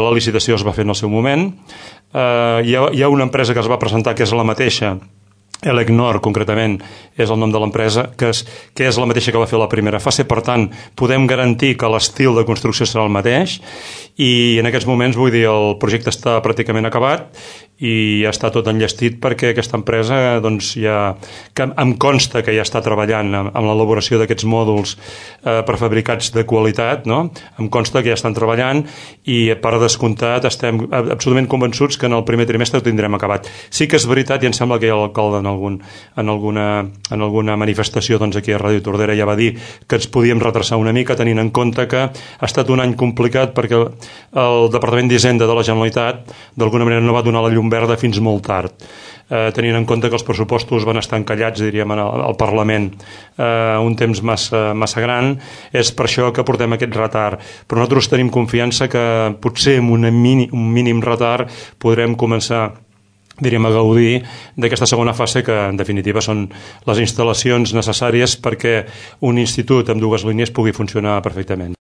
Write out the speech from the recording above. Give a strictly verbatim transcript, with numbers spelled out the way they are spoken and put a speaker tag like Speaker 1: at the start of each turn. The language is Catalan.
Speaker 1: La licitació es va fer en el seu moment. Eh, hi, ha, hi ha una empresa que es va presentar que és la mateixa, Elecnor, concretament, és el nom de l'empresa, que és, que és la mateixa que va fer la primera fase. Per tant, podem garantir que l'estil de construcció serà el mateix i en aquests moments, vull dir, el projecte està pràcticament acabat i ja està tot enllestit perquè aquesta empresa, doncs, ja, que em consta que ja està treballant amb, amb l'elaboració d'aquests mòduls eh, prefabricats de qualitat, no? Em consta que ja estan treballant i, per descomptat, estem absolutament convençuts que en el primer trimestre ho tindrem acabat. Sí que és veritat, i em sembla que hi ha l'alcalde en, algun, en, alguna, en alguna manifestació, doncs, aquí a Ràdio Tordera ja va dir que ens podíem retrasar una mica, tenint en compte que ha estat un any complicat perquè el Departament d'Hisenda de la Generalitat d'alguna manera no va donar la llum verda fins molt tard, eh, tenint en compte que els pressupostos van estar encallats, diríem, al, al Parlament eh, un temps massa, massa gran. És per això que portem aquest retard, però nosaltres tenim confiança que potser amb una mini, un mínim retard podrem començar, diríem, a gaudir d'aquesta segona fase, que en definitiva són les instal·lacions necessàries perquè un institut amb dues línies pugui funcionar perfectament.